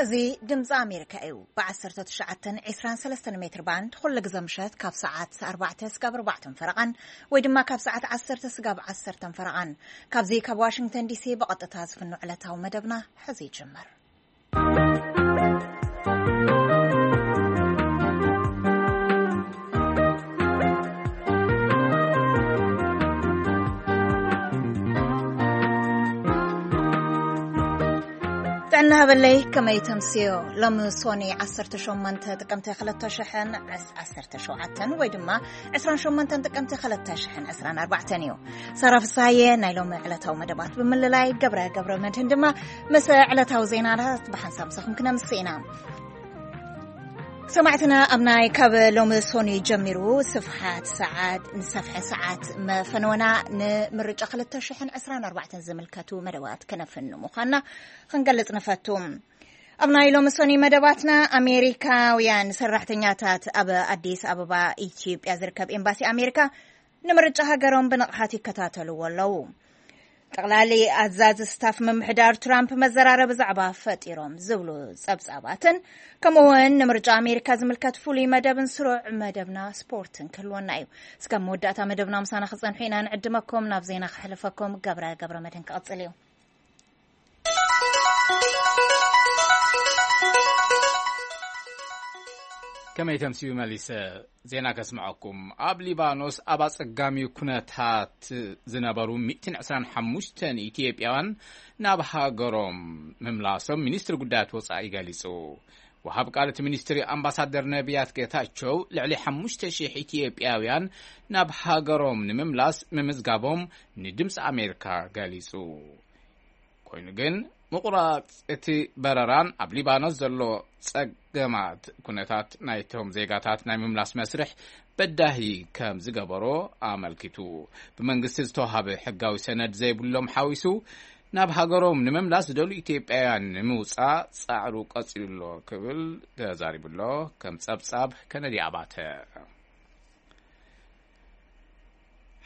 እዚ ድምፂ ኣሜሪካ እዩ። ብ19፣ 23 ሜትር ባንድ ኩሉ ግዜ ምሸት ካብ ሰዓት ኣርባዕተ ስጋብ ኣርባዕተን ፈረቓን ወይ ድማ ካብ ሰዓት ዓሰርተ ስጋብ ዓሰርተን ፈረቓን። ካብዚ ካብ ዋሽንግተን ዲሲ ብቐጥታ ዝፍኖ ዕለታዊ መደብና ሕዚ ይጅምር። ጥዕና ሃበለይ፣ ከመይ ተምስዮ? ሎሚ ሶኒ ዓሰርተ ሸሞንተ ጥቅምቲ ክልተ ሽሕን ዓሰርተ ሸውዓተን ወይ ድማ ዕስራን ሸሞንተን ጥቅምቲ ክልተ ሽሕን ዕስራን ኣርባዕተን እዩ። ሳራ ፍስሃየ ናይ ሎሚ ዕለታዊ መደባት ብምልላይ፣ ገብረ ገብረ መድህን ድማ ምስ ዕለታዊ ዜናታት ብሓንሳብ ምሳኹም ክነምስእ ኢና። ሰማዕትና፣ ኣብ ናይ ካብ ሎሚ ሶኒ ጀሚሩ ስፍሓት ሰዓት፣ ንሰፍሐ ሰዓት መፈነወና ንምርጫ ክልተ ሽሕን ዕስራን ኣርባዕተን ዝምልከቱ መደባት ከነፍን ምዃንና ክንገልጽ ንፈቱ። ኣብ ናይ ሎሚ ሶኒ መደባትና፣ ኣሜሪካውያን ሰራሕተኛታት ኣብ ኣዲስ ኣበባ ኢትዮጵያ ዝርከብ ኤምባሲ ኣሜሪካ ንምርጫ ሃገሮም ብንቕሓት ይከታተልዎ ኣለዉ። ጠቕላሊ ኣዛዚ ስታፍ ምምሕዳር ትራምፕ መዘራረቢ ዛዕባ ፈጢሮም ዝብሉ ጸብጻባትን፣ ከምኡ እውን ንምርጫ ኣሜሪካ ዝምልከት ፍሉይ መደብን ስሩዕ መደብና ስፖርትን ክህልወና እዩ። እስከ መወዳእታ መደብና ምሳና ክጸንሑ ኢና ንዕድመኩም። ናብ ዜና ክሕልፈኩም፣ ገብረ ገብረ መድህን ክቕጽል እዩ። ከመይ ተምስዩ መሊሰ ዜና ከስምዐኩም። ኣብ ሊባኖስ ኣብ ኣጸጋሚ ኩነታት ዝነበሩ ሚእትን ዕስራን ሓሙሽተን ኢትዮጵያውያን ናብ ሃገሮም ምምላሶም ሚኒስትሪ ጉዳያት ወጻኢ ገሊጹ። ወሃብ ቃል እቲ ሚኒስትሪ ኣምባሳደር ነቢያት ጌታቸው፣ ልዕሊ ሓሙሽተ ሺሕ ኢትዮጵያውያን ናብ ሃገሮም ንምምላስ ምምዝጋቦም ንድምፂ ኣሜሪካ ገሊጹ። ኮይኑ ግን፣ ምቑራጽ እቲ በረራን ኣብ ሊባኖስ ዘሎ ጸገማት ኩነታት ናይቶም ዜጋታት ናይ ምምላስ መስርሕ በዳሂ ከም ዝገበሮ ኣመልኪቱ። ብመንግስቲ ዝተዋሃበ ሕጋዊ ሰነድ ዘይብሎም ሓዊሱ፣ ናብ ሃገሮም ንምምላስ ዝደልዩ ኢትዮጵያውያን ንምውጻእ ጻዕሩ ቀጺሉ ኣሎ ክብል ተዛሪቡ ኣሎ። ከም ጸብጻብ ከነዲ ኣባተ።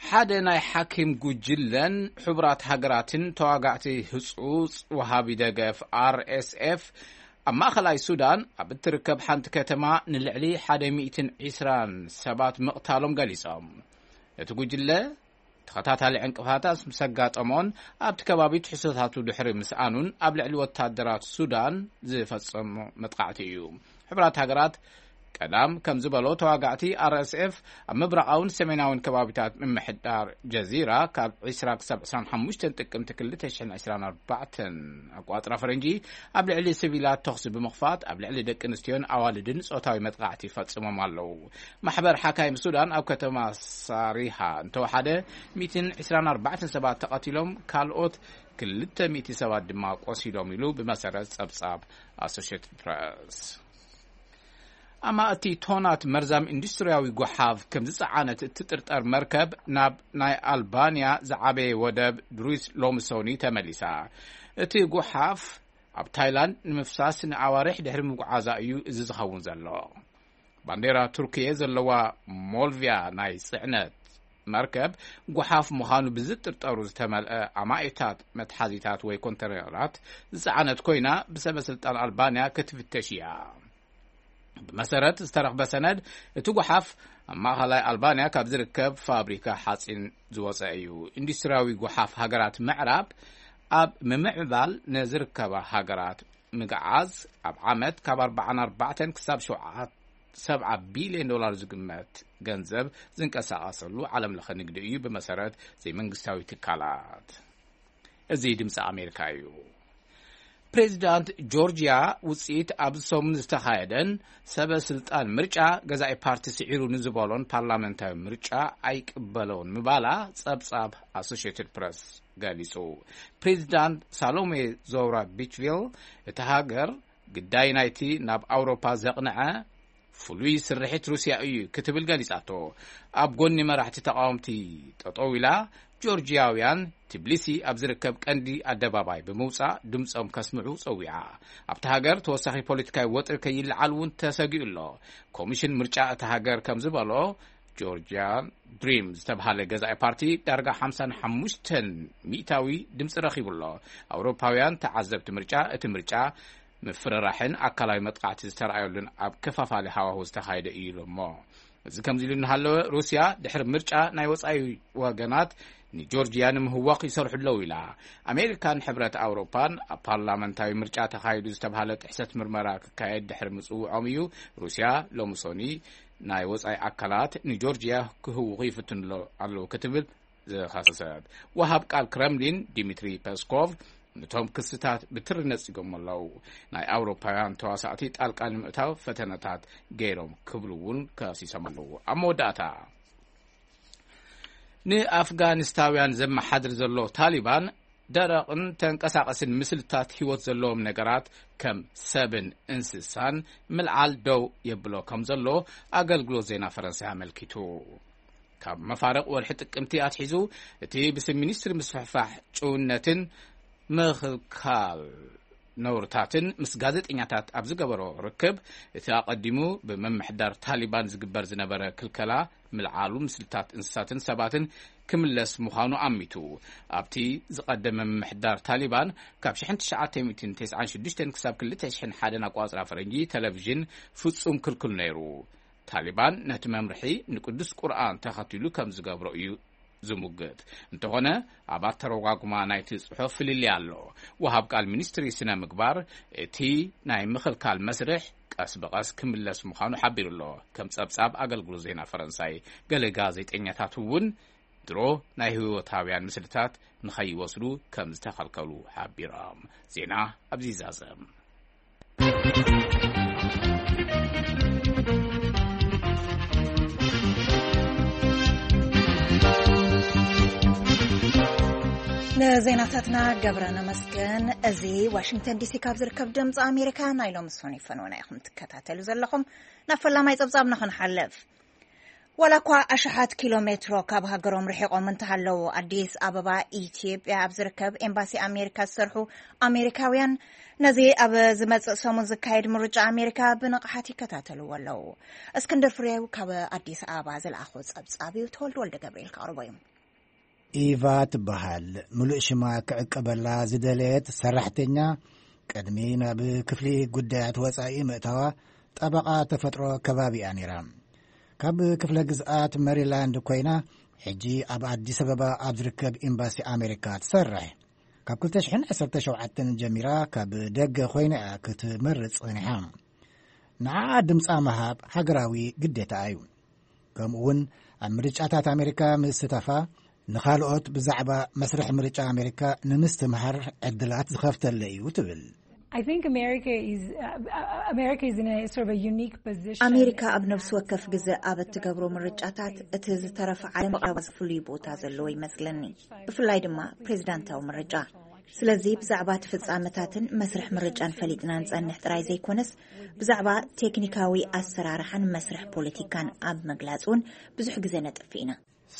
ሓደ ናይ ሓኪም ጉጅለን ሕቡራት ሃገራትን ተዋጋእቲ ህጹጽ ወሃቢ ደገፍ፣ ኣር ኤስ ኤፍ፣ ኣብ ማእኸላይ ሱዳን ኣብ እትርከብ ሓንቲ ከተማ ንልዕሊ ሓደ ሚእትን ዕስራን ሰባት ምቕታሎም ገሊጾም። እቲ ጉጅለ ተኸታታሊ ዕንቅፋታት ምስ ኣጋጠሞን ኣብቲ ከባቢ ትሕዝቶታቱ ድሕሪ ምስኣኑን ኣብ ልዕሊ ወታደራት ሱዳን ዝፈጸሞ መጥቃዕቲ እዩ። ሕቡራት ሃገራት ቀዳም ከም ዝበሎ፣ ተዋጋእቲ ኣር ኤስ ኤፍ ኣብ ምብራቓውን ሰሜናውን ከባቢታት ምምሕዳር ጀዚራ ካብ ዕስራ ክሳብ ዕስራን ሓሙሽተን ጥቅምቲ ክልተ ሽሕን ዕስራን ኣርባዕተን ኣቋጽራ ፈረንጂ ኣብ ልዕሊ ሲቪላት ተኹሲ ብምኽፋት ኣብ ልዕሊ ደቂ ኣንስትዮን ኣዋልድን ጾታዊ መጥቃዕቲ ፈጺሞም ኣለዉ። ማሕበር ሓካይም ሱዳን ኣብ ከተማ ሳሪሃ እንተወሓደ ሚእትን ዕስራን ኣርባዕተን ሰባት ተቐቲሎም፣ ካልኦት ክልተ ሚእቲ ሰባት ድማ ቆሲሎም ኢሉ ብመሰረት ጸብጻብ ኣሶሽየትድ ፕረስ። ኣማእቲ ቶናት መርዛም ኢንዱስትርያዊ ጎሓፍ ከም ዝጸዓነት እትጥርጠር መርከብ ናብ ናይ ኣልባንያ ዝዓበየ ወደብ ብሩስ ሎምሶኒ ተመሊሳ። እቲ ጎሓፍ ኣብ ታይላንድ ንምፍሳስ ንኣዋርሕ ድሕሪ ምጉዓዛ እዩ እዚ ዝኸውን ዘሎ። ባንዴራ ቱርክየ ዘለዋ ሞልቪያ ናይ ጽዕነት መርከብ፣ ጎሓፍ ምዃኑ ብዝጥርጠሩ ዝተመልአ ኣማኢታት መትሓዚታት ወይ ኮንተይነራት ዝጸዓነት ኮይና፣ ብሰበ ስልጣን ኣልባንያ ክትፍተሽ እያ። ብመሰረት ዝተረኽበ ሰነድ፣ እቲ ጎሓፍ ኣብ ማእኸላይ ኣልባንያ ካብ ዝርከብ ፋብሪካ ሓጺን ዝወጸ እዩ። ኢንዱስትርያዊ ጎሓፍ ሃገራት ምዕራብ ኣብ ምምዕባል ንዝርከባ ሃገራት ምግዓዝ፣ ኣብ ዓመት ካብ ኣርባዓን ኣርባዕተን ክሳብ ሸውዓተ፣ ሰብዓ ቢልዮን ዶላር ዝግመት ገንዘብ ዝንቀሳቐሰሉ ዓለም ለኸ ንግዲ እዩ፣ ብመሰረት ዘይመንግስታዊ ትካላት። እዚ ድምፂ ኣሜሪካ እዩ። ፕሬዚዳንት ጆርጂያ፣ ውፅኢት ኣብዚ ሰሙን ዝተኻየደን ሰበ ስልጣን ምርጫ ገዛኢ ፓርቲ ስዒሩ ንዝበሎን ፓርላመንታዊ ምርጫ ኣይቅበሎን ምባላ ጸብጻብ ኣሶሽየትድ ፕረስ ገሊጹ። ፕሬዚዳንት ሳሎሜ ዞራ ቢችቪል፣ እታ ሃገር ግዳይ ናይቲ ናብ ኣውሮፓ ዘቕንዐ ፍሉይ ስርሒት ሩስያ እዩ ክትብል ገሊጻቶ። ኣብ ጎኒ መራሕቲ ተቃወምቲ ጠጠው ኢላ፣ ጆርጂያውያን ትብሊሲ ኣብ ዝርከብ ቀንዲ ኣደባባይ ብምውጻእ ድምጾም ከስምዑ ጸዊዓ። ኣብታ ሃገር ተወሳኺ ፖለቲካዊ ወጥሪ ከይለዓል እውን ተሰጊኡ ኣሎ። ኮሚሽን ምርጫ እታ ሃገር ከም ዝበሎ፣ ጆርጂያን ድሪም ዝተብሃለ ገዛኢ ፓርቲ ዳርጋ ሓምሳን ሓሙሽተን ሚእታዊ ድምጺ ረኺቡ ኣሎ። ኣውሮፓውያን ተዓዘብቲ ምርጫ፣ እቲ ምርጫ ምፍርራሕን ኣካላዊ መጥቃዕቲ ዝተረኣየሉን ኣብ ከፋፋሊ ሃዋሁ ዝተኻየደ እዩ ኢሉ። እሞ እዚ ከምዚ ኢሉ እናሃለወ፣ ሩስያ ድሕሪ ምርጫ ናይ ወጻኢ ወገናት ንጆርጅያ ንምህዋኽ ይሰርሑ ኣለዉ ኢላ። ኣሜሪካን ሕብረት ኣውሮፓን ኣብ ፓርላመንታዊ ምርጫ ተኻይዱ ዝተባህለ ጥሕሰት ምርመራ ክካየድ ድሕሪ ምጽውዖም እዩ ሩስያ ሎሚ ሶኒ ናይ ወጻኢ ኣካላት ንጆርጅያ ክህውኹ ይፍትኑ ኣለዉ ክትብል ዝኸሰሰት። ወሃብ ቃል ክረምሊን ዲሚትሪ ፐስኮቭ ነቶም ክስታት ብትሪ ነጺጎም ኣለዉ። ናይ ኣውሮፓውያን ተዋሳእቲ ጣልቃ ንምእታው ፈተነታት ገይሮም ክብሉ እውን ከሲሶም ኣለዉ። ኣብ መወዳእታ፣ ንኣፍጋኒስታውያን ዘመሓድር ዘሎ ታሊባን ደረቕን ተንቀሳቐስን ምስልታት ህይወት ዘለዎም ነገራት ከም ሰብን እንስሳን ምልዓል ደው የብሎ ከም ዘሎ ኣገልግሎት ዜና ፈረንሳይ ኣመልኪቱ። ካብ መፋርቕ ወርሒ ጥቅምቲ ኣትሒዙ፣ እቲ ብስም ሚኒስትሪ ምስፍሕፋሕ ጭውነትን ምኽልካል ነውርታትን ምስ ጋዜጠኛታት ኣብ ዝገበሮ ርክብ፣ እቲ ኣቐዲሙ ብምምሕዳር ታሊባን ዝግበር ዝነበረ ክልከላ ምልዓሉ ምስልታት እንስሳትን ሰባትን ክምለስ ምዃኑ ኣሚቱ። ኣብቲ ዝቐደመ ምምሕዳር ታሊባን፣ ካብ ሽሕን ትሽዓተ ሚእትን ተስዓን ሽዱሽተን ክሳብ ክልተ ሽሕን ሓደን ኣቋጽራ ፈረንጂ፣ ቴሌቪዥን ፍጹም ክልኩል ነይሩ። ታሊባን ነቲ መምርሒ ንቅዱስ ቁርኣን ተኸቲሉ ከም ዝገብሮ እዩ ዝሙግት። እንተኾነ፣ ኣብ ኣተረጓጉማ ናይቲ ጽሑፍ ፍልልይ ኣሎ። ወሃብ ቃል ሚኒስትሪ ስነ ምግባር፣ እቲ ናይ ምኽልካል መስርሕ ቀስ ብቐስ ክምለስ ምዃኑ ሓቢሩ ኣሎ። ከም ጸብጻብ ኣገልግሎት ዜና ፈረንሳይ፣ ገለ ጋዜጠኛታት እውን ድሮ ናይ ህይወታውያን ምስልታት ንኸይወስዱ ከም ዝተኸልከሉ ሓቢሮም። ዜና ኣብዚ ይዛዘም። ንዜናታትና ገብረ ነመስገን። እዚ ዋሽንግተን ዲሲ ካብ ዝርከብ ድምፂ ኣሜሪካ ናይ ሎሚ ሶኒ ፈነወና ኢኹም ትከታተሉ ዘለኹም። ናብ ፈላማይ ጸብጻብና ክንሓልፍ። ዋላ እኳ ኣሽሓት ኪሎ ሜትሮ ካብ ሃገሮም ርሒቖም እንተሃለዉ፣ ኣዲስ ኣበባ ኢትዮጵያ ኣብ ዝርከብ ኤምባሲ ኣሜሪካ ዝሰርሑ ኣሜሪካውያን፣ ነዚ ኣብ ዝመጽእ ሰሙን ዝካየድ ምርጫ ኣሜሪካ ብንቕሓት ይከታተልዎ ኣለዉ። እስክንድር ፍሬው ካብ ኣዲስ ኣበባ ዝለኣኾ ጸብጻብ እዩ፣ ተወልደ ወልደ ገብርኤል ከቕርቦ እዩ። ኢቫ ትበሃል። ምሉእ ሽማ ክዕቀበላ ዝደለየት ሰራሕተኛ፣ ቅድሚ ናብ ክፍሊ ጉዳያት ወጻኢ ምእታዋ፣ ጠበቓ ተፈጥሮ ከባቢ እያ ነይራ። ካብ ክፍለ ግዝኣት መሪላንድ ኮይና፣ ሕጂ ኣብ ኣዲስ ኣበባ ኣብ ዝርከብ ኤምባሲ ኣሜሪካ ትሰርሕ። ካብ ክልተ ሽሕን ዓሰርተ ሸውዓተን ጀሚራ፣ ካብ ደገ ኮይና እያ ክትመርጽ ጸኒሓ። ንዓኣ ድምጻ ምሃብ ሃገራዊ ግዴታ እዩ። ከምኡ እውን ኣብ ምርጫታት ኣሜሪካ ምስታፋ፣ ንኻልኦት ብዛዕባ መስርሕ ምርጫ ኣሜሪካ ንምስትምሃር ዕድላት ዝኸፍተለ እዩ ትብል። I think America is, uh, uh, America is in a sort of a unique position. ኣሜሪካ ኣብ ነፍሲ ወከፍ ግዘ ኣብ እትገብሮ ምርጫታት፣ እቲ ዝተረፈ ዓለም ብቐረባ ፍሉይ ቦታ ዘለዎ ይመስለኒ። ብፍላይ ድማ ፕሬዝዳንታዊ ምርጫ። ስለዚ ብዛዕባ እቲ ፍጻመታትን መስርሕ ምርጫን ፈሊጥና ንጸንሕ ጥራይ ዘይኮነስ፣ ብዛዕባ ቴክኒካዊ ኣሰራርሓን መስርሕ ፖለቲካን ኣብ ምግላጽ እውን ብዙሕ ግዜ ነጥፍእ ኢና።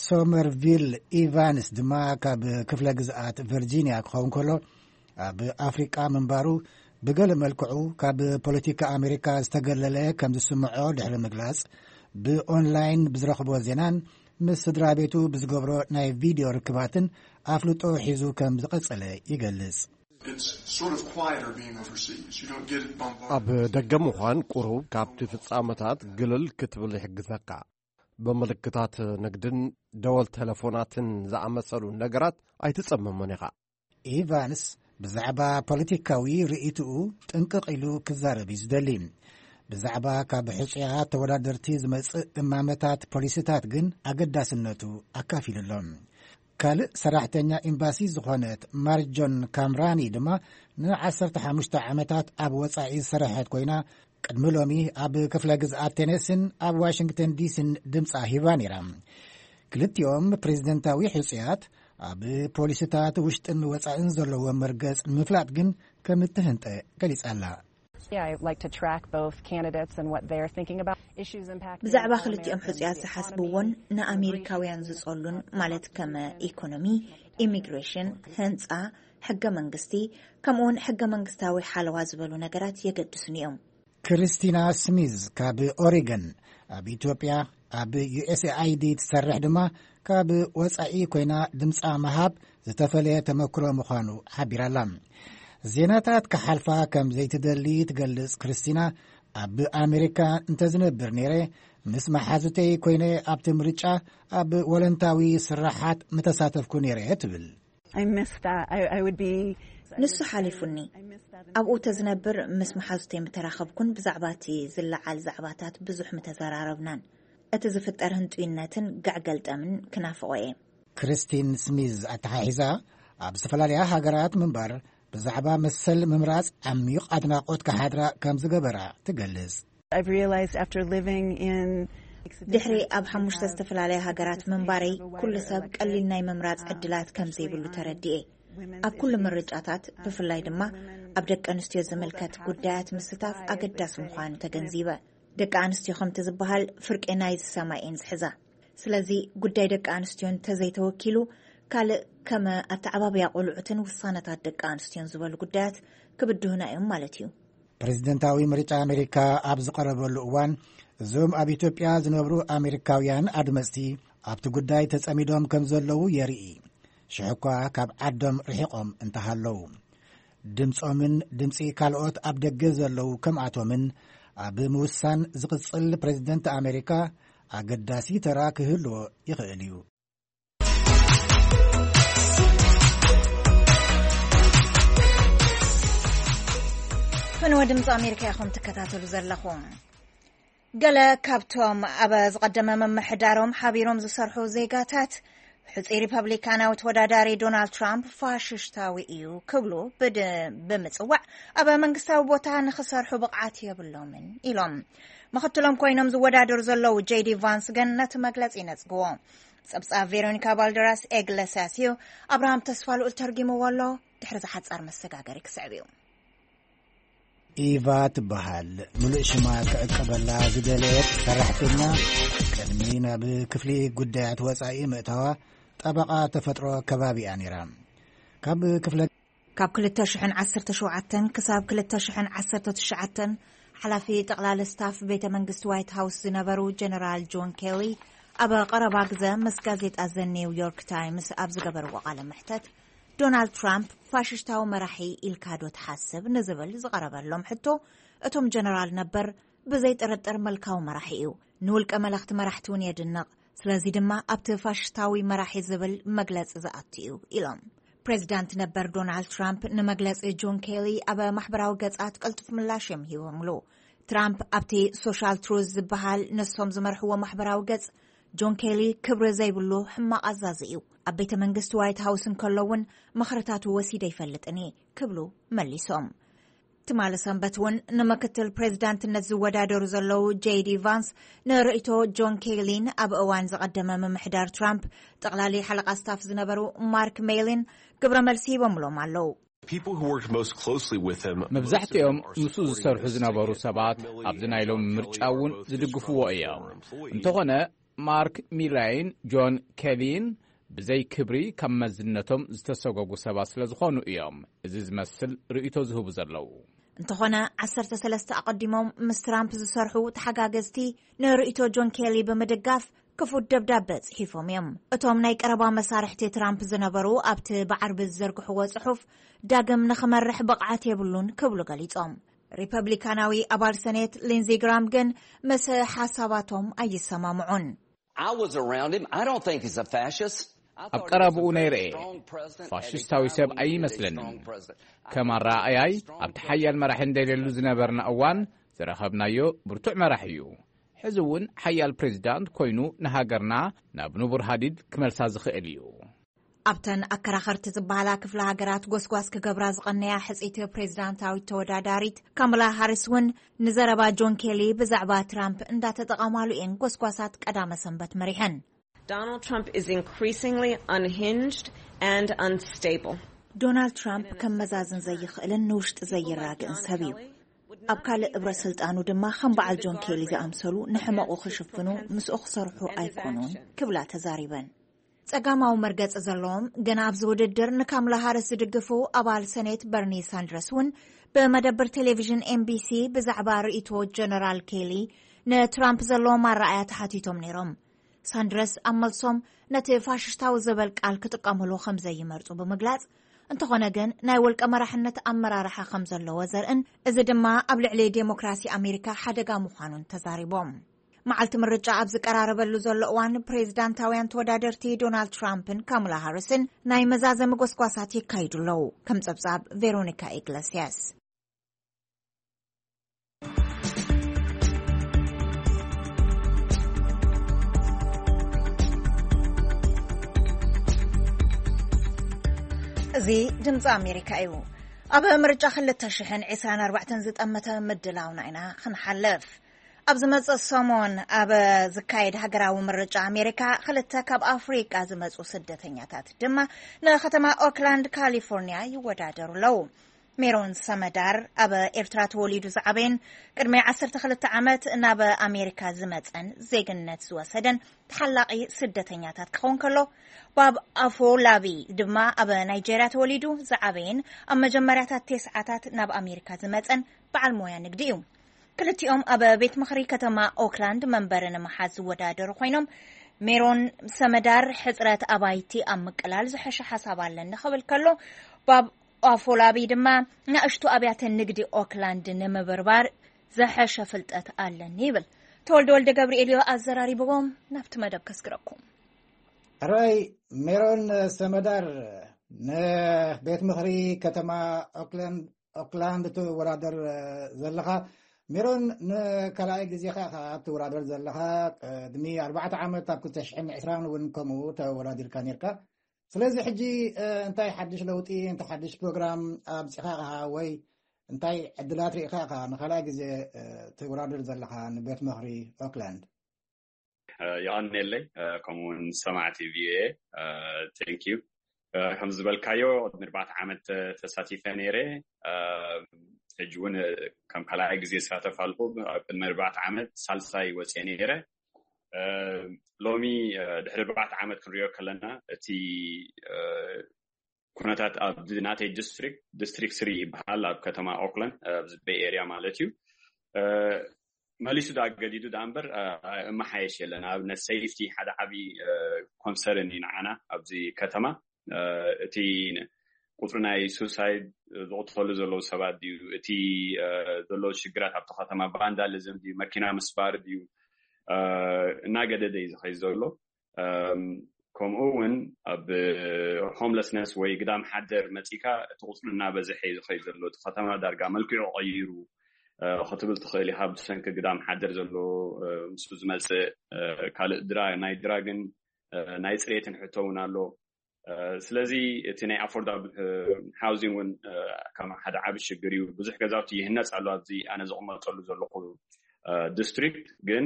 ሶመርቪል ኢቫንስ ድማ ካብ ክፍለ ግዝኣት ቨርጂኒያ ክኸውን ከሎ፣ ኣብ ኣፍሪቃ ምንባሩ ብገለ መልክዑ ካብ ፖለቲካ ኣሜሪካ ዝተገለለ ከም ዝስምዖ ድሕሪ ምግላጽ፣ ብኦንላይን ብዝረኽቦ ዜናን ምስ ስድራ ቤቱ ብዝገብሮ ናይ ቪድዮ ርክባትን ኣፍልጦ ሒዙ ከም ዝቐጸለ ይገልጽ። It's sort of quieter being overseas. You don't get it bombarded. ኣብ ደገ ምዃን ቁሩብ ካብቲ ፍጻመታት ግልል ክትብል ይሕግዘካ። ብምልክታት ንግድን ደወል ቴሌፎናትን ዝኣመሰሉ ነገራት ኣይትጸመሞን ኢኻ። ኢቫንስ ብዛዕባ ፖለቲካዊ ርእይትኡ ጥንቅቕ ኢሉ ክዛረብ እዩ ዝደሊ። ብዛዕባ ካብ ሕጹያት ተወዳደርቲ ዝመጽእ እማመታት ፖሊሲታት ግን ኣገዳስነቱ ኣካፊሉ ኣሎ። ካልእ ሰራሕተኛ ኤምባሲ ዝኾነት ማርጆን ካምራኒ ድማ ንዓሰርተ ሓሙሽተ ዓመታት ኣብ ወጻኢ ዝሰረሐት ኮይና፣ ቅድሚ ሎሚ ኣብ ክፍለ ግዝኣት ቴነሲን ኣብ ዋሽንግተን ዲሲን ድምጻ ሂባ ነይራ። ክልቲኦም ፕሬዝደንታዊ ሕጹያት ኣብ ፖሊሲታት ውሽጥን ወጻእን ዘለዎ መርገጽ ንምፍላጥ ግን ከም እትህንጠ ገሊጻ ኣላ። Yeah, I like to track both candidates and what they're thinking about. Issues impacting ብዛዕባ all ክልቲኦም Americans, ሕጹያት the ዝሓስብዎን economy, ንኣሜሪካውያን ዝጸሉን፣ ማለት ከም ኢኮኖሚ፣ ኢሚግሬሽን፣ ህንጻ፣ ሕገ መንግስቲ፣ ከምኡውን ሕገ መንግስታዊ ሓለዋ ዝበሉ ነገራት የገድሱን እዮም። ክርስቲና ስሚዝ ካብ ኦሪገን፣ ኣብ ኢትዮጵያ ኣብ ዩ ኤስ ኤ ኣይ ዲ ትሰርሕ ድማ፣ ካብ ወጻኢ ኮይና ድምጻ ምሃብ ዝተፈለየ ተመክሮ ምዃኑ ሓቢራላ። ዜናታት ክሓልፋ ከም ዘይትደሊ ትገልጽ ክርስቲና፣ ኣብ ኣሜሪካ እንተዝነብር ነይረ፣ ምስ መሓዙተይ ኮይነ ኣብቲ ምርጫ ኣብ ወለንታዊ ስራሓት ምተሳተፍኩ ነይረ ትብል። I missed that. I, I would be ንሱ ሓሊፉኒ። ኣብኡ ተዝነብር ምስ መሓዙተይ ምተራኸብኩን ብዛዕባ እቲ ዝለዓል ዛዕባታት ብዙሕ ምተዘራረብናን። እቲ ዝፍጠር ህንጡይነትን ጋዕ ገልጠምን ክናፍቖ እየ። ክርስቲን ስሚዝ ኣተሓሒዛ፣ ኣብ ዝተፈላለያ ሃገራት ምንባር ብዛዕባ መሰል ምምራጽ ዓሚቕ ኣድናቖት ክሓድራ ከም ዝገበራ ትገልጽ። I've realized after living in ድሕሪ ኣብ ሓሙሽተ ዝተፈላለያ ሃገራት ምንባረይ፣ ኩሉ ሰብ ቀሊል ናይ ምምራጽ ዕድላት ከም ዘይብሉ ተረዲኤ። ኣብ ኩሉ ምርጫታት፣ ብፍላይ ድማ ኣብ ደቂ ኣንስትዮ ዝምልከት ጉዳያት ምስታፍ ኣገዳሲ ምዃኑ ተገንዚበ። ደቂ ኣንስትዮ ከምቲ ዝበሃል ፍርቂ ናይዚ ሰማይ እየን ዝሕዛ። ስለዚ ጉዳይ ደቂ ኣንስትዮ እንተዘይተወኪሉ፣ ካልእ ከም ኣተዓባብያ ቆልዑትን ውሳነታት ደቂ ኣንስትዮን ዝበሉ ጉዳያት ክብድሁና እዮም ማለት እዩ። ፕሬዝደንታዊ ምርጫ ኣሜሪካ ኣብ ዝቐረበሉ እዋን፣ እዞም ኣብ ኢትዮጵያ ዝነብሩ ኣሜሪካውያን ኣድመፅቲ ኣብቲ ጉዳይ ተጸሚዶም ከም ዘለዉ የርኢ። ሽሕ እኳ ካብ ዓዶም ርሒቖም እንተሃለዉ፣ ድምጾምን ድምጺ ካልኦት ኣብ ደገ ዘለዉ ከምኣቶምን ኣብ ምውሳን ዝቕጽል ፕሬዝደንት ኣሜሪካ ኣገዳሲ ተራ ክህልዎ ይኽእል እዩ። ፈነወ ድምፂ ኣሜሪካ ኢኹም ትከታተሉ ዘለኹም። ገለ ካብቶም ኣብ ዝቐደመ ምምሕዳሮም ሓቢሮም ዝሰርሑ ዜጋታት፣ ሕጹይ ሪፐብሊካናዊ ተወዳዳሪ ዶናልድ ትራምፕ ፋሽስታዊ እዩ ክብሉ ብድ-፣ ብምጽዋዕ፣ ኣብ መንግስታዊ ቦታ ንኽሰርሑ ብቕዓት የብሎምን ኢሎም። ምኽትሎም ኮይኖም ዝወዳደሩ ዘለዉ ጄዲ ቫንስ ግን ነቲ መግለጺ ይነጽግዎ። ጸብጻብ ቬሮኒካ ባልደራስ ኤግለሲያስ እዩ። ኣብርሃም ተስፋ ልኡል ተርጊምዎ ኣሎ። ድሕሪ ዝሓጻር መሰጋገሪ ክስዕብ እዩ። ኢቫ ትበሃል። ምሉእ ሽማ ክዕቀበላ ዝደለየት ሰራሕተኛ፣ ቅድሚ ናብ ክፍሊ ጉዳያት ወጻኢ ምእታዋ፣ ጠበቓ ተፈጥሮ ከባቢ እያ ነይራ። ካብ ክፍለ ካብ ክልተ ሽሕን ዓሰርተ ሸውዓተን ክሳብ ክልተ ሽሕን ዓሰርተ ትሽዓተን ሓላፊ ጠቕላሊ ስታፍ ቤተ መንግስቲ ዋይት ሃውስ ዝነበሩ ጀነራል ጆን ኬሊ፣ ኣብ ቀረባ ግዘ ምስ ጋዜጣ ዘ ኒው ዮርክ ታይምስ ኣብ ዝገበርዎ ቃለ መሕተት፣ ዶናልድ ትራምፕ ፋሽስታዊ መራሒ ኢልካ ዶ ትሓስብ ንዝብል ዝቐረበሎም ሕቶ፣ እቶም ጀነራል ነበር፣ ብዘይ ጥርጥር መልካዊ መራሒ እዩ። ንውልቀ መለኽቲ መራሕቲ እውን የድንቕ። ስለዚ ድማ ኣብቲ ፋሽስታዊ መራሒ ዝብል መግለጺ ዝኣቱ እዩ ኢሎም። ፕሬዚዳንት ነበር ዶናልድ ትራምፕ ንመግለጺ ጆን ኬሊ ኣብ ማሕበራዊ ገጻት ቅልጡፍ ምላሽ እዮም ሂቦምሉ። ትራምፕ ኣብቲ ሶሻል ትሩዝ ዝበሃል ንሶም ዝመርሕዎ ማሕበራዊ ገጽ፣ ጆን ኬሊ ክብሪ ዘይብሉ ሕማቕ ኣዛዚ እዩ። ኣብ ቤተ መንግስቲ ዋይት ሃውስ እንከሎ እውን ምኽርታቱ ወሲደ ይፈልጥን እየ ክብሉ መሊሶም። ትማሊ ሰንበት እውን ንምክትል ፕሬዚዳንትነት ዝወዳደሩ ዘለዉ ጄዲ ቫንስ ንርእይቶ ጆን ኬሊን ኣብ እዋን ዝቐደመ ምምሕዳር ትራምፕ ጠቕላሊ ሓለቓ ስታፍ ዝነበሩ ማርክ ሜሊን ግብረ መልሲ ሂቦምሎም ኣለዉ። People who worked most closely with him, most of them መብዛሕትኦም are ምስኡ supporting ዝሰርሑ this ዝነበሩ decision. ሰባት ኣብዚ ናይ ሎሚ ምርጫ እውን ዝድግፍዎ እዮም። እንተኾነ ማርክ ሚላይን ጆን ኬሊን ብዘይ ክብሪ ካብ መዝነቶም ዝተሰጎጉ ሰባት ስለ ዝኾኑ እዮም እዚ ዝመስል ርእይቶ ዝህቡ ዘለዉ። እንተኾነ ዓሰርተ ሰለስተ ኣቐዲሞም ምስ ትራምፕ ዝሰርሑ ተሓጋገዝቲ ንርእይቶ ጆን ኬሊ ብምድጋፍ ክፉት ደብዳበ ጽሒፎም እዮም። እቶም ናይ ቀረባ መሳርሕቲ ትራምፕ ዝነበሩ ኣብቲ ብዓርቢ ዝዘርግሕዎ ጽሑፍ ዳግም ንኽመርሕ ብቕዓት የብሉን ክብሉ ገሊጾም። ሪፐብሊካናዊ ኣባል ሰኔት ሊንዚ ግራም ግን ምስ ሓሳባቶም ኣይሰማምዑን። I was around him. I don't think he's a fascist. I ኣብ thought he was ቀረብኡ a very ነይረ እየ። Strong president, ፋሽስታዊ having ሰብ found a ኣይመስለንን። Strong president. ከም ኣረኣእያይ ኣብቲ ሓያል መራሒ እንደሌሉ ዝነበርና እዋን ዝረኸብናዮ ብርቱዕ መራሒ እዩ። ሕዚ እውን ሓያል ፕሬዚዳንት ኮይኑ ንሃገርና ናብ ንቡር ሃዲድ ክመልሳ ዝኽእል እዩ። ኣብተን ኣከራኸርቲ ዝበሃላ ክፍለ ሃገራት ጎስጓስ ክገብራ ዝቐነያ ሕጽይቲ ፕሬዚዳንታዊት ተወዳዳሪት ካማላ ሃሪስ እውን ንዘረባ ጆን ኬሊ ብዛዕባ ትራምፕ እንዳተጠቐማሉ እየን ጎስጓሳት ቀዳመ ሰንበት መሪሐን። Donald Trump is increasingly unhinged and unstable. ዶናልድ ትራምፕ ከም መዛዝን ዘይኽእልን ንውሽጢ ዘይራግእን ሰብ እዩ። ኣብ ካልእ እብረ ስልጣኑ ድማ ከም በዓል ጆን ኬሊ ዝኣምሰሉ ንሕመቑ ክሽፍኑ ምስኡ ክሰርሑ ኣይኮኑን ክብላ ተዛሪበን። ጸጋማዊ መርገጺ ዘለዎም ግን ኣብዚ ውድድር ንካምላ ሃሪስ ዝድግፉ ኣባል ሰኔት በርኒ ሳንድረስ እውን ብመደብር ቴሌቪዥን ኤምቢሲ ብዛዕባ ርእይቶ ጀነራል ኬሊ ንትራምፕ ዘለዎም ኣረኣእያ ተሓቲቶም ነይሮም። ሳንድረስ ኣብ መልሶም ነቲ ፋሽስታዊ ዝብል ቃል ክጥቀምሉ ከም ዘይመርጹ ብምግላጽ፣ እንተኾነ ግን ናይ ውልቀ መራሕነት ኣመራርሓ ከም ዘለዎ ዘርእን፣ እዚ ድማ ኣብ ልዕሊ ዴሞክራሲ ኣሜሪካ ሓደጋ ምዃኑን ተዛሪቦም። መዓልቲ ምርጫ ኣብ ዝቀራረበሉ ዘሎ እዋን፣ ፕሬዝዳንታውያን ተወዳደርቲ ዶናልድ ትራምፕን ካማላ ሃሪስን ናይ መዛዘሚ ጎስጓሳት የካይዱ ኣለዉ። ከም ጸብጻብ ቬሮኒካ ኢግለስያስ። እዚ ድምፂ ኣሜሪካ እዩ። ኣብ ምርጫ ክልተ ሽሕን ዕስራን ኣርባዕተን ዝጠመተ ምድላውና ኢና ክንሓልፍ። ኣብ ዝመጽእ ሰሞን ኣብ ዝካየድ ሃገራዊ ምርጫ ኣሜሪካ፣ ክልተ ካብ ኣፍሪቃ ዝመጹ ስደተኛታት ድማ ንከተማ ኦክላንድ ካሊፎርኒያ ይወዳደሩ ኣለዉ። ሜሮን ሰመዳር ኣብ ኤርትራ ተወሊዱ ዝዓበየን ቅድሚ ዓሰርተ ክልተ ዓመት ናብ ኣሜሪካ ዝመጸን ዜግነት ዝወሰደን ተሓላቒ ስደተኛታት ክኸውን ከሎ፣ ባብ ኣፎላቢ ድማ ኣብ ናይጀርያ ተወሊዱ ዝዓበየን ኣብ መጀመርያታት ተስዓታት ናብ ኣሜሪካ ዝመጸን በዓል ሞያ ንግዲ እዩ። ክልቲኦም ኣብ ቤት ምኽሪ ከተማ ኦክላንድ መንበሪ ንምሓዝ ዝወዳደሩ ኮይኖም፣ ሜሮን ሰመዳር ሕጽረት ኣባይቲ ኣብ ምቅላል ዝሐሸ ሓሳብ ኣለኒ ክብል ከሎ፣ ባብ ኣፎላቢ ድማ ንኣሽቱ ኣብያተ ንግዲ ኦክላንድ ንምብርባር ዝሐሸ ፍልጠት ኣለኒ ይብል። ተወልደ ወልደ ገብርኤል እዩ ኣዘራሪብዎም። ናብቲ መደብ ከስግረኩም። ሕራይ ሜሮን ሰመዳር፣ ንቤት ምኽሪ ከተማ ኦክላንድ ኦክላንድ ትወዳደር ዘለኻ። ሜሮን፣ ንካልኣይ ግዜኻ ኢኻ ትወዳደር ዘለኻ። ቅድሚ ኣርባዕተ ዓመት ኣብ ክልተ ሽሕን ዕስራን እውን ከምኡ ተወዳዲርካ ነርካ። ስለዚ ሕጂ እንታይ ሓድሽ ለውጢ፣ እንታይ ሓድሽ ፕሮግራም ኣብጺኻ ኢኻ ወይ እንታይ ዕድላት ርኢኻ ኢኻ ንኻልኣይ ግዜ ትወዳደር ዘለኻ ንቤት ምኽሪ ኦክላንድ? የቐንየለይ። ከምኡውን ሰማዕቲ ቪኦኤ፣ ቴንክ ዩ። ከም ዝበልካዮ፣ ቅድሚ ኣርባዕተ ዓመት ተሳቲፈ ነይረ። ሕጂ እውን ከም ካልኣይ ግዜ ይሳተፍ ኣለኹ። ኣብ ቅድሚ ኣርባዕተ ዓመት ሳልሳይ ወፅየ ነይረ። ሎሚ ድሕሪ ኣርባዕተ ዓመት ክንሪኦ ከለና፣ እቲ ኩነታት ኣብዚ ናተይ ዲስትሪክት፣ ዲስትሪክት ስሪ ይበሃል፣ ኣብ ከተማ ኦክላንድ፣ ኣብዚ ቤይ ኤርያ ማለት እዩ። መሊሱ ዳ ገዲዱ ዳ እምበር፣ እመሓየሽ የለን። ኣብነት ሴፍቲ ሓደ ዓብዪ ኮንሰርን እዩ ንዓና ኣብዚ ከተማ። እቲ ቁፅሪ ናይ ሱሳይድ ዝቕተሉ ዘለዉ ሰባት ድዩ፣ እቲ ዘሎ ሽግራት ኣብቲ ከተማ ቫንዳሊዝም ድዩ፣ መኪና ምስባር ድዩ፣ እናገደደ እዩ ዝኸይድ ዘሎ። ከምኡ እውን ኣብ ሆምለስነስ ወይ ግዳም ሓደር መፂካ፣ እቲ ቁፅሪ እናበዝሐ እዩ ዝኸይድ ዘሎ። እቲ ከተማ ዳርጋ መልክዑ ቀይሩ ክትብል ትኽእል ኢኻ። ብሰንኪ ግዳም ሓደር ዘሎ፣ ምስ ዝመፅእ ካልእ ድራ ናይ ድራግን ናይ ፅሬትን ሕቶ እውን ኣሎ። ስለዚ እቲ ናይ ኣፎርዳብል ሃውዚንግ እውን ከም ሓደ ዓቢ ሽግር እዩ። ብዙሕ ገዛውቲ ይህነፅ ኣሎ ኣብዚ ኣነ ዝቕመጠሉ ዘለኹ ዲስትሪክት፣ ግን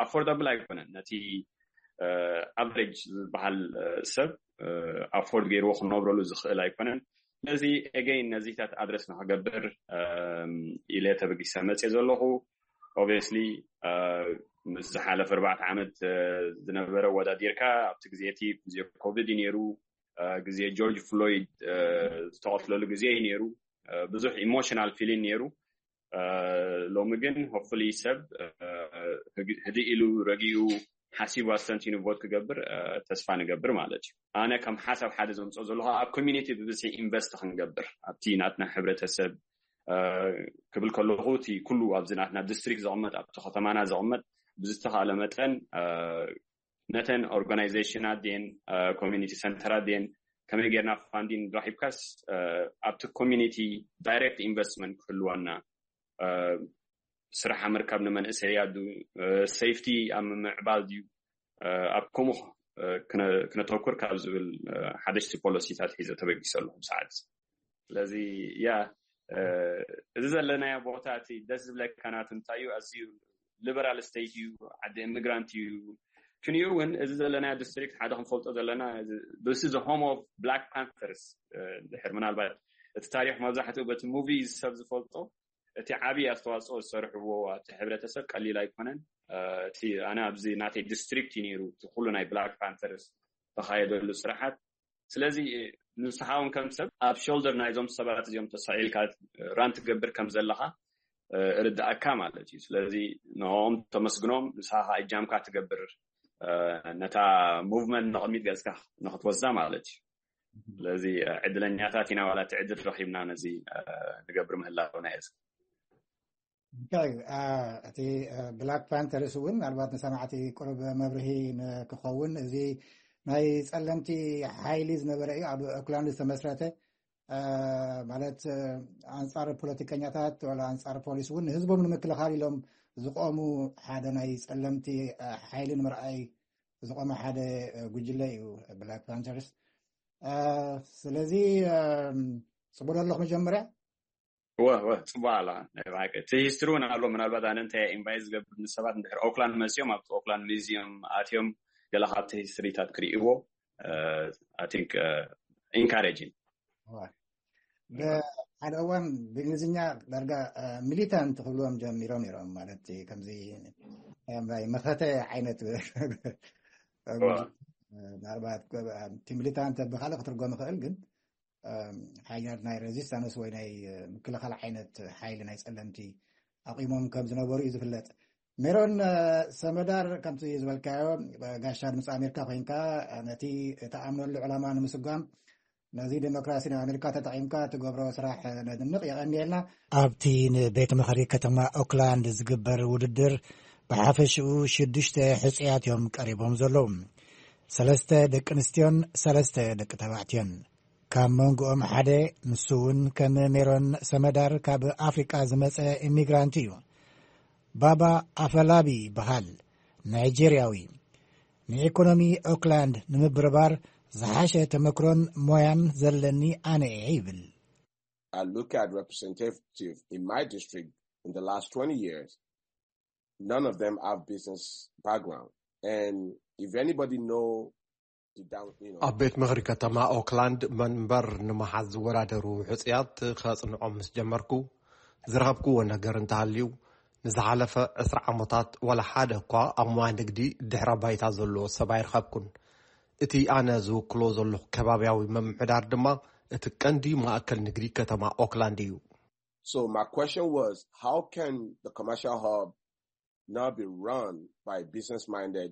ኣፎርዳብል ኣይኮነን። ነቲ ኣቨሬጅ ዝበሃል ሰብ ኣፎርድ ገይርዎ ክነብረሉ ዝኽእል ኣይኮነን። ስለዚ ኤገይን ነዚታት ኣድረስ ንክገብር ኢለ ተበጊሰ መፅየ ዘለኹ። ኦብቪየስሊ ምስ ዝሓለፈ ኣርባዕተ ዓመት ዝነበረ ወዳዲርካ፣ ኣብቲ ግዜ እቲ ግዜ ኮቪድ እዩ ነይሩ። ግዜ ጆርጅ ፍሎይድ ዝተቐትለሉ ግዜ እዩ ነይሩ። ብዙሕ ኢሞሽናል ፊሊን ነይሩ። ሎሚ ግን ሆፕፉሊ ሰብ ህድእ ኢሉ ረጊኡ ሓሲቡ ኣስተንቲኑ ቮት ክገብር ተስፋ ንገብር ማለት እዩ። ኣነ ከም ሓሳብ ሓደ ዘምፅኦ ዘለኹ ኣብ ኮሚኒቲ ብብዝሒ ኢንቨስት ክንገብር ኣብቲ ናትና ሕብረተሰብ ክብል ከለኹ፣ እቲ ኩሉ ኣብዚ ናትና ዲስትሪክት ዘቕመጥ፣ ኣብቲ ከተማና ዘቕመጥ ብዝተኻእለ መጠን ነተን ኦርጋናይዜሽናት ድን ኮሚኒቲ ሰንተራት ድን ከመይ ጌርና ፋንዲን ረኺብካስ ኣብቲ ኮሚኒቲ ዳይሬክት ኢንቨስትመንት ክህልወና፣ ስራሕ ኣብ ምርካብ ንመንእሰያት ድዩ፣ ሴፍቲ ኣብ ምምዕባል ድዩ፣ ኣብ ከምኡ ክነተኩር ካብ ዝብል ሓደሽቲ ፖሊሲታት ሒዘ ተበጊሰ ኣለኹ ሰዓት። ስለዚ ያ እዚ ዘለናዮ ቦታ እቲ ደስ ዝብለካ ናቱ እንታይ እዩ፣ ኣዝዩ ሊበራል ስቴት እዩ፣ ዓዲ ኢሚግራንት እዩ። ክንዩ እውን እዚ ዘለናዮ ዲስትሪክት ሓደ ክንፈልጦ ዘለና፣ this is home of Black Panthers። ድሕር ምናልባት እቲ ታሪክ መብዛሕትኡ በቲ ሙቪ ሰብ ዝፈልጦ፣ እቲ ዓብዪ ኣስተዋፅኦ ዝሰርሕዎ ኣብቲ ሕብረተሰብ ቀሊል ኣይኮነን። እቲ ኣነ ኣብዚ ናተይ ዲስትሪክት እዩ ነይሩ እቲ ኩሉ ናይ ብላክ ፓንተርስ ተኻየደሉ ስራሓት። ስለዚ ንስኻ እውን ከም ሰብ ኣብ ሾልደር ናይዞም ሰባት እዚኦም ተሳኢልካ ራን ትገብር ከም ዘለኻ እርዳእካ ማለት እዩ። ስለዚ ንኦም ተመስግኖም፣ ንስኻ ከዓ እጃምካ ትገብር ነታ ሙቭመንት ንቕድሚት ገፅካ ንክትወስዳ ማለት እዩ። ስለዚ ዕድለኛታት ኢና፣ ዋላ እቲ ዕድል ረኺብና ነዚ ንገብር ምህላውና እየ። እንታይ እቲ ብላክ ፓንተርስ እውን ምናልባት ንሰማዕቲ ቅሩብ መብርሂ ክኸውን፣ እዚ ናይ ጸለምቲ ሓይሊ ዝነበረ እዩ፣ ኣብ ኦክላንድ ዝተመስረተ፣ ማለት ኣንጻር ፖለቲከኛታት ወላ ኣንጻር ፖሊስ እውን ንህዝቦም ንምክልኻል ኢሎም ዝቆሙ ሓደ ናይ ጸለምቲ ሓይሊ ንምርኣይ ዝቆመ ሓደ ጉጅለ እዩ ብላክ ፓንተርስ። ስለዚ ጽቡቅ ኣለኹ መጀመርያ። ወ ወ ጽቡቅ ኣላ። ናይ ብሓቂ እቲ ሂስትሪ እውን ኣሎ። ምናልባት ኣነ እንታይ ኢንቫይት ዝገብር ንሰባት እንድሕር ኦክላንድ መጺኦም ኣብቲ ኦክላንድ ሚዚየም ኣትዮም ገለ ካብቲ ሂስትሪታት ክርእይዎ፣ I think encouraging። ብሓደ እዋን ብእንግሊዝኛ ዳርጋ ሚሊታንት ክብልዎም ጀሚሮም ነይሮም፣ ማለት ከምዚ መኸተ ዓይነት። ምናልባት እቲ ሚሊታንት ብካልእ ክትርጎም ይኽእል፣ ግን ሓይልታት ናይ ሬዚስታንስ ወይ ናይ ምክልኻል ዓይነት ሓይሊ ናይ ጸለምቲ ኣቂሞም ከም ዝነበሩ እዩ ዝፍለጥ። ሜሮን ሰመዳር፣ ከምቲ ዝበልካዮ ጋሻ ድምፂ ኣሜሪካ ኮይንካ ነቲ እተኣምነሉ ዕላማ ንምስጓም ነዚ ዴሞክራሲ ናይ ኣሜሪካ ተጠቂምካ ትገብሮ ስራሕ ነድንቅ። የቀንየልና። ኣብቲ ንቤት ምኽሪ ከተማ ኦክላንድ ዝግበር ውድድር ብሓፈሽኡ ሽዱሽተ ሕፁያት እዮም ቀሪቦም ዘለዉ። ሰለስተ ደቂ ኣንስትዮን ሰለስተ ደቂ ተባዕትዮን። ካብ መንጎኦም ሓደ ንሱ እውን ከም ሜሮን ሰመዳር ካብ ኣፍሪቃ ዝመጸ ኢሚግራንት እዩ። ባባ ኣፈላቢ ይበሃል። ናይጄርያዊ። ንኢኮኖሚ ኦክላንድ ንምብርባር ዝሓሸ ተመክሮን ሞያን ዘለኒ ኣነ እየ ይብል። I look at representative in my district in the last twenty years. None of them have business background. And if anybody know ኣብ ቤት ምኽሪ ከተማ ኦክላንድ መንበር ንምሓዝ ዝወዳደሩ ሕፅያት ከፅንዖም ምስ ጀመርኩ ዝረኸብክዎ ነገር እንተሃልዩ፣ ንዝሓለፈ ዕስራ ዓመታት ዋላ ሓደ እኳ ኣብ ሞያ ንግዲ ድሕረ ባይታ ዘለዎ ሰብ ኣይረኸብኩን። እቲ ኣነ ዝውክሎ ዘለኹ ከባብያዊ ምምሕዳር ድማ እቲ ቀንዲ ማእከል ንግዲ ከተማ ኦክላንድ እዩ። So my question was, how can the commercial hub not be run by business minded,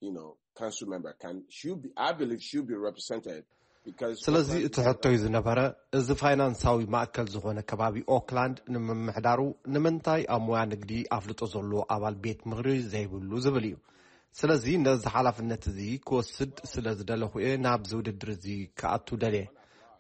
you know, council member? Can should be, I believe, should be represented because ስለዚ እቲ ሕቶይ ዝነበረ፣ እዚ ፋይናንሳዊ ማእከል ዝኾነ ከባቢ ኦክላንድ ንምምሕዳሩ ንምንታይ ኣብ ሞያ ንግዲ ኣፍልጦ ዘለዎ ኣባል ቤት ምኽሪ ዘይብሉ ዝብል እዩ። ስለዚ ነዚ ሓላፍነት እዚ ክወስድ ስለ ዝደለኹ እየ ናብዚ ውድድር እዚ ክኣቱ ደልየ።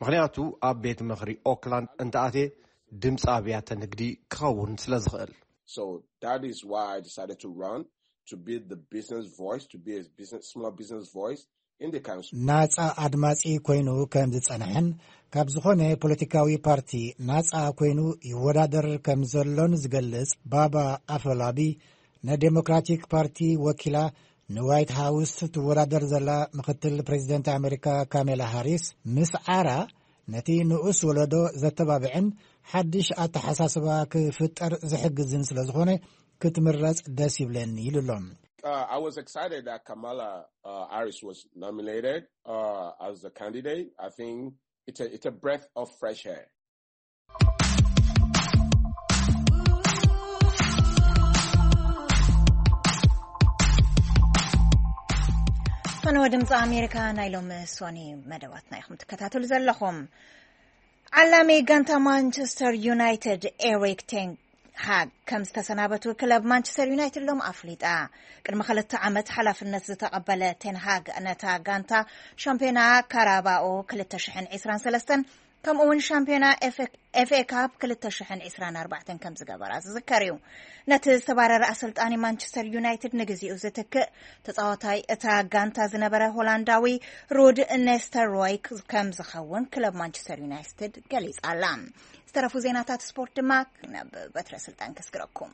ምኽንያቱ ኣብ ቤት ምኽሪ ኦክላንድ እንተኣትየ ድምፂ ኣብያተ ንግዲ ክኸውን ስለ ዝኽእል። So that is why I decided to run, to be the business voice, to be a business, small business voice in the council. ናጻ ኣድማጺ ኮይኑ ከም ዝጸንሐን ካብ ዝኾነ ፖለቲካዊ ፓርቲ ናጻ ኮይኑ ይወዳደር ከም ዘሎን ዝገልጽ ባባ ኣፈላቢ፣ ንዴሞክራቲክ ፓርቲ ወኪላ ንዋይት ሃውስ ትወዳደር ዘላ ምክትል ፕሬዚደንት ኣሜሪካ ካሜላ ሃሪስ፣ ምስዓራ ነቲ ንኡስ ወለዶ ዘተባብዕን ሓድሽ ኣተሓሳስባ ክፍጠር ዝሕግዝን ስለ ዝኾነ ክትምረጽ ደስ ይብለኒ ኢሉ ኣሎ። Uh, I was excited that Kamala uh, Harris was nominated uh, as a candidate. I think it's a, it's a breath of fresh air. ፈነወ ድምፂ ኣሜሪካ ናይ ሎሚ ሶኒ መደባትና ኢኹም ትከታተሉ ዘለኹም። ዓላሚ ጋንታ ማንቸስተር ዩናይትድ ኤሪክ ቴን ሃግ ከም ዝተሰናበቱ ክለብ ማንቸስተር ዩናይትድ ሎም ኣፍሊጣ። ቅድሚ ክልተ ዓመት ሓላፍነት ዝተቐበለ ቴን ሃግ ነታ ጋንታ ሻምፒዮና ካራባኦ ክልተ ሽሕን ዕስራን ሰለስተን ከምኡ እውን ሻምፒዮና ኤፍኤ ካፕ ክልተ ሽሕን ዕስራን ኣርባዕተን ከም ዝገበራ ዝዝከር እዩ። ነቲ ዝተባረረ ኣሰልጣኒ ማንቸስተር ዩናይትድ ንግዚኡ ዝትክእ ተጻዋታይ እታ ጋንታ ዝነበረ ሆላንዳዊ ሩድ ኔስተርሮይ ከም ዝኸውን ክለብ ማንቸስተር ዩናይትድ ገሊጻ ኣላ። ዝተረፉ ዜናታት ስፖርት ድማ ናብ በትረ ስልጣን ከስግረኩም።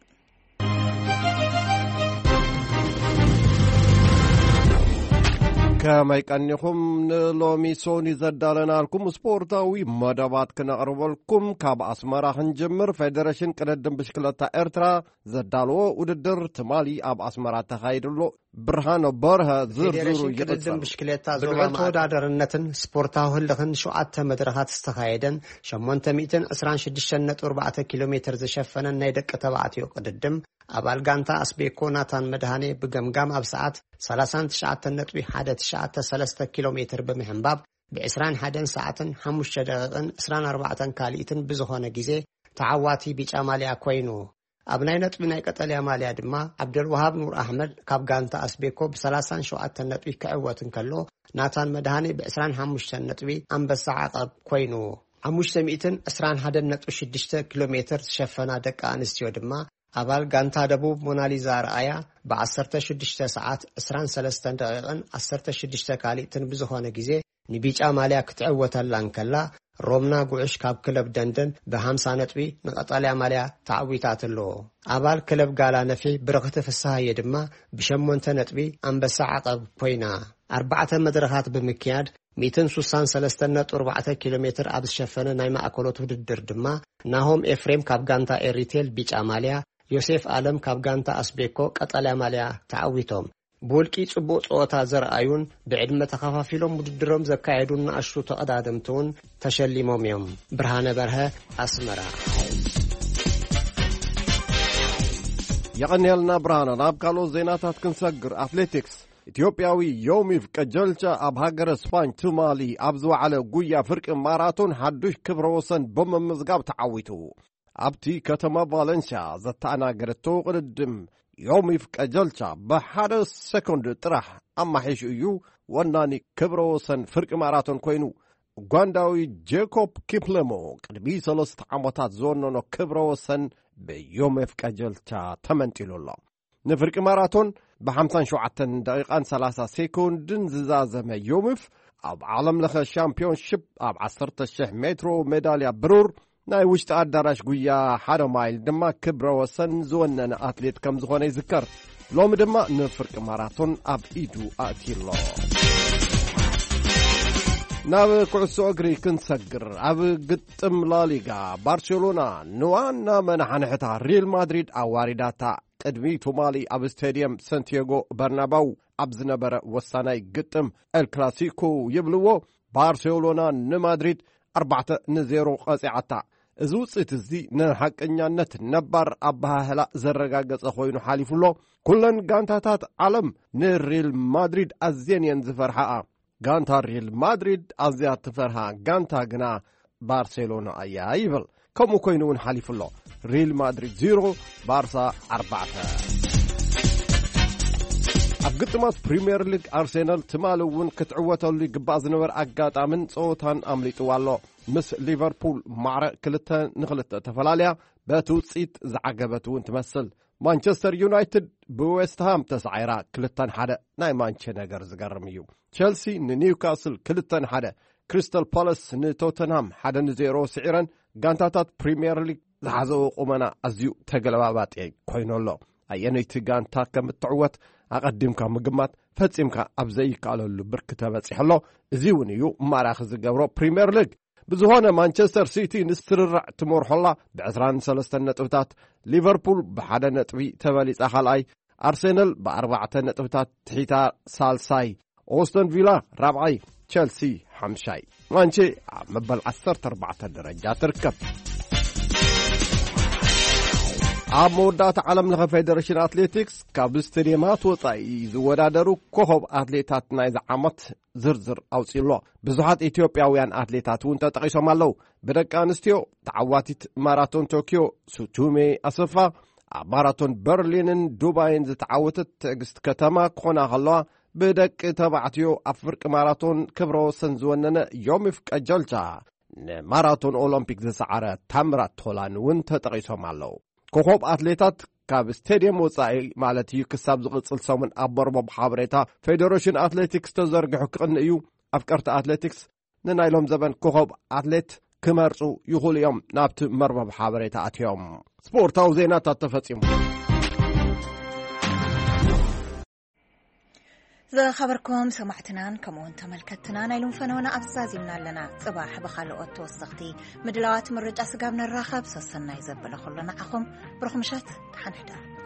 ከመይ ቀኒኹም? ንሎሚ ሶኒ ዘዳለናልኩም ስፖርታዊ መደባት ክነቕርበልኩም ካብ ኣስመራ ክንጅምር። ፌደሬሽን ቅድድም ብሽክለታ ኤርትራ ዘዳለዎ ውድድር ትማሊ ኣብ ኣስመራ ተኻይዱ ኣሎ። ብርሃነ በርሀ ዝርዝሩ ፌዴሬሽን ቅድድም ይቕጽል። ብሽክሌታ ዞባ ብልዑል ማእከል ተወዳዳርነትን ስፖርታዊ ህልኽን ሸውዓተ መድረኻት ዝተኻየደን ሸሞንተ ሚእትን ዕስራን ሽዱሽተን ነጥቢ ኣርባዕተ ኪሎ ሜትር ዝሸፈነን ናይ ደቂ ተባዕትዮ ቅድድም ኣባል ጋንታ ኣስቤኮ ናታን መድሃኔ ብገምጋም ኣብ ሰዓት ሰላሳን ትሽዓተን ነጥቢ ሓደ ትሽዓተ ሰለስተ ኪሎ ሜትር ብምሕንባብ ብ ዕስራን ሓደን ሰዓትን ሓሙሽተ ደቂቕን ዕስራን ኣርባዕተን ካልኢትን ብዝኾነ ግዜ ተዓዋቲ ቢጫ ማልያ ኮይኑ። ኣብ ናይ ነጥቢ ናይ ቀጠልያ ማልያ ድማ ዓብደልወሃብ ኑር ኣሕመድ ካብ ጋንታ ኣስቤኮ ብ ሰላሳን ሸውዓተን ነጥቢ ክዕወት እንከሎ፣ ናታን መድሃኔ ብ ዕስራን ሓሙሽተን ነጥቢ ኣንበሳ ዓቐብ ኮይኑ። ሓሙሽተ ሚእትን ዕስራን ሓደን ነጥቢ ሽዱሽተ ኪሎ ሜትር ዝሸፈና ደቂ ኣንስትዮ ድማ ኣባል ጋንታ ደቡብ ሞናሊዛ ኣርኣያ ብ ዓሰርተ ሽዱሽተ ሰዓት ዕስራን ሰለስተን ደቂቕን ዓሰርተ ሽዱሽተ ካልኢትን ብዝኾነ ግዜ ንቢጫ ማልያ ክትዕወተላ እንከላ፣ ሮምና ጉዕሽ ካብ ክለብ ደንደን ብ ሓምሳ ነጥቢ ንቐጠልያ ማልያ ተዓዊታትሎ። ኣባል ክለብ ጋላ ነፊ ብርኽቲ ፍስሃየ ድማ ብሸሞንተ ነጥቢ ኣንበሳ ዓቐብ ኮይና። ኣርባዕተ መድረኻት ብምክያድ ሚእትን ስሳን ሰለስተን ነጥቢ ኣርባዕተ ኪሎ ሜትር ኣብ ዝሸፈነ ናይ ማእከሎት ውድድር ድማ ናሆም ኤፍሬም ካብ ጋንታ ኤሪቴል ቢጫ ማልያ፣ ዮሴፍ ኣለም ካብ ጋንታ ኣስቤኮ ቀጠልያ ማልያ ተዓዊቶም። ብውልቂ ጽቡቕ ጸወታ ዘርኣዩን ብዕድመ ተኸፋፊሎም ውድድሮም ዘካየዱን ንኣሽቱ ተቐዳደምቲ እውን ተሸሊሞም እዮም። ብርሃነ በርሀ፣ ኣስመራ። የቐንየልና ብርሃነ። ናብ ካልኦት ዜናታት ክንሰግር፣ ኣትሌቲክስ። ኢትዮጵያዊ ዮሚፍ ቀጀልቻ ኣብ ሃገረ ስፓኝ ትማሊ ኣብ ዝወዓለ ጉያ ፍርቂ ማራቶን ሓዱሽ ክብረ ወሰን ብምምዝጋብ ተዓዊቱ። ኣብቲ ከተማ ቫለንሲያ ዘተኣናገደቶ ቅድድም፣ ዮሚፍ ቀጀልቻ ብሓደ ሰኮንድ ጥራሕ ኣማሒሹ እዩ ወናኒ ክብረ ወሰን ፍርቂ ማራቶን ኮይኑ። ኡጋንዳዊ ጄኮብ ኪፕለሞ ቅድሚ ሰለስተ ዓመታት ዝወነኖ ክብረ ወሰን ብዮሚፍ ቀጀልቻ ተመንጢሉ ኣሎ። ንፍርቂ ማራቶን ብ ሓምሳን ሸውዓተን ደቂቓን ሰላሳ ሴኮንድን ዝዛዘመ ዮሚፍ፣ ኣብ ዓለም ለኸ ሻምፒዮንሺፕ ኣብ ዓሰርተ ሽሕ ሜትሮ ሜዳልያ ብሩር ናይ ውሽጢ ኣዳራሽ ጉያ ሓደ ማይል ድማ ክብረ ወሰን ዝወነነ ኣትሌት ከም ዝኾነ ይዝከር። ሎሚ ድማ ንፍርቂ ማራቶን ኣብ ኢዱ ኣእትዩ ኣሎ። ናብ ኩዕሶ እግሪ ክንሰግር፣ ኣብ ግጥም ላሊጋ ባርሴሎና ንዋና መናሓንሕታ ሪል ማድሪድ ኣዋሪዳታ። ቅድሚ ትማሊ ኣብ ስቴድየም ሰንቲያጎ በርናባው ኣብ ዝነበረ ወሳናይ ግጥም ኤል ክላሲኮ ይብልዎ፣ ባርሴሎና ንማድሪድ ኣርባዕተ ንዜሮ ቀጺዓታ። እዚ ውጽኢት እዚ ንሓቀኛነት ነባር ኣበሃህላ ዘረጋገጸ ኮይኑ ሓሊፉ ኣሎ። ኩለን ጋንታታት ዓለም ንሪል ማድሪድ ኣዝየን እየን ዝፈርሓኣ። ጋንታ ሪል ማድሪድ ኣዝያ ትፈርሃ ጋንታ ግና ባርሴሎና እያ ይብል። ከምኡ ኮይኑ እውን ሓሊፉ ኣሎ። ሪል ማድሪድ ዜሮ፣ ባርሳ ኣርባዕተ። ኣብ ግጥማት ፕሪምየር ሊግ ኣርሴናል ትማሊ እውን ክትዕወተሉ ይግባእ ዝነበረ ኣጋጣምን ጸወታን ኣምሊጥዋ ኣሎ። ምስ ሊቨርፑል ማዕረ ክልተ ንክልተ ተፈላለያ በቲ ውጽኢት ዝዓገበት እውን ትመስል። ማንቸስተር ዩናይትድ ብዌስትሃም ተሳዒራ ክልተ ንሓደ። ናይ ማንቸ ነገር ዝገርም እዩ። ቸልሲ ንኒውካስል ክልተ ንሓደ፣ ክሪስታል ፓላስ ንቶተንሃም ሓደ ንዜሮ ስዒረን። ጋንታታት ፕሪምየር ሊግ ዝሓዘኦ ቁመና ኣዝዩ ተገለባባጢ ኮይኑ ኣሎ። ኣየነይቲ ጋንታ ከም እትዕወት ኣቐዲምካ ምግማት ፈጺምካ ኣብ ዘይከኣለሉ ብርኪ ተበጺሑ ኣሎ። እዚ እውን እዩ ማራኺ ዝገብሮ ፕሪምየር ሊግ። ብዝኾነ ማንቸስተር ሲቲ ንስርርዕ ትመርሖላ ብ ዕስራን ሰለስተን ነጥብታት፣ ሊቨርፑል ብሓደ ነጥቢ ተበሊጻ ካልኣይ፣ ኣርሴናል ብኣርባዕተ ነጥብታት ትሒታ ሳልሳይ፣ ኦስተን ቪላ ራብዓይ፣ ቸልሲ ሓምሻይ። ማንቼ ኣብ መበል ዓሰርተ ኣርባዕተ ደረጃ ትርከብ። ኣብ መወዳእታ ዓለም ለኸ ፌደሬሽን ኣትሌቲክስ ካብ ስቴዲየማት ወጻኢ ዝወዳደሩ ኮኸብ ኣትሌታት ናይዚ ዓመት ዝርዝር ኣውጺኡ ኣሎ። ብዙሓት ኢትዮጵያውያን ኣትሌታት እውን ተጠቒሶም ኣለዉ። ብደቂ ኣንስትዮ ተዓዋቲት ማራቶን ቶኪዮ ሱቱሜ ኣሰፋ፣ ኣብ ማራቶን በርሊንን ዱባይን ዝተዓወተት ትዕግስት ከተማ ክኾና ከለዋ፣ ብደቂ ተባዕትዮ ኣብ ፍርቂ ማራቶን ክብረ ወሰን ዝወነነ ዮሚፍ ቀጀልቻ፣ ንማራቶን ኦሎምፒክ ዝሰዓረ ታምራት ቶላን እውን ተጠቒሶም ኣለዉ። ኮኾብ ኣትሌታት ካብ ስቴድየም ወጻኢ ማለት እዩ፣ ክሳብ ዝቕጽል ሰሙን ኣብ መርበብ ሓበሬታ ፌደሬሽን ኣትሌቲክስ ተዘርጊሑ ክቕንእ እዩ። ኣፍቀርቲ ኣትሌቲክስ ንናይ ሎም ዘበን ኮኾብ ኣትሌት ክመርጹ ይኽእሉ እዮም ናብቲ መርበብ ሓበሬታ ኣትዮም። ስፖርታዊ ዜናታት ተፈጺሙ። ዝኸበርኩም ሰማዕትናን ከምኡውን ተመልከትትና ናይ ሎም ፈነወና ኣብዚ ዛዚምና ኣለና። ጽባሕ ብኻልኦት ተወሰኽቲ ምድላዋት ምርጫ ስጋብ ንራኸብ ሰሰናይ ዘበለ ኩሉ ንዓኹም። ብሩኽ ምሸት፣ ደሓን ሕደሩ።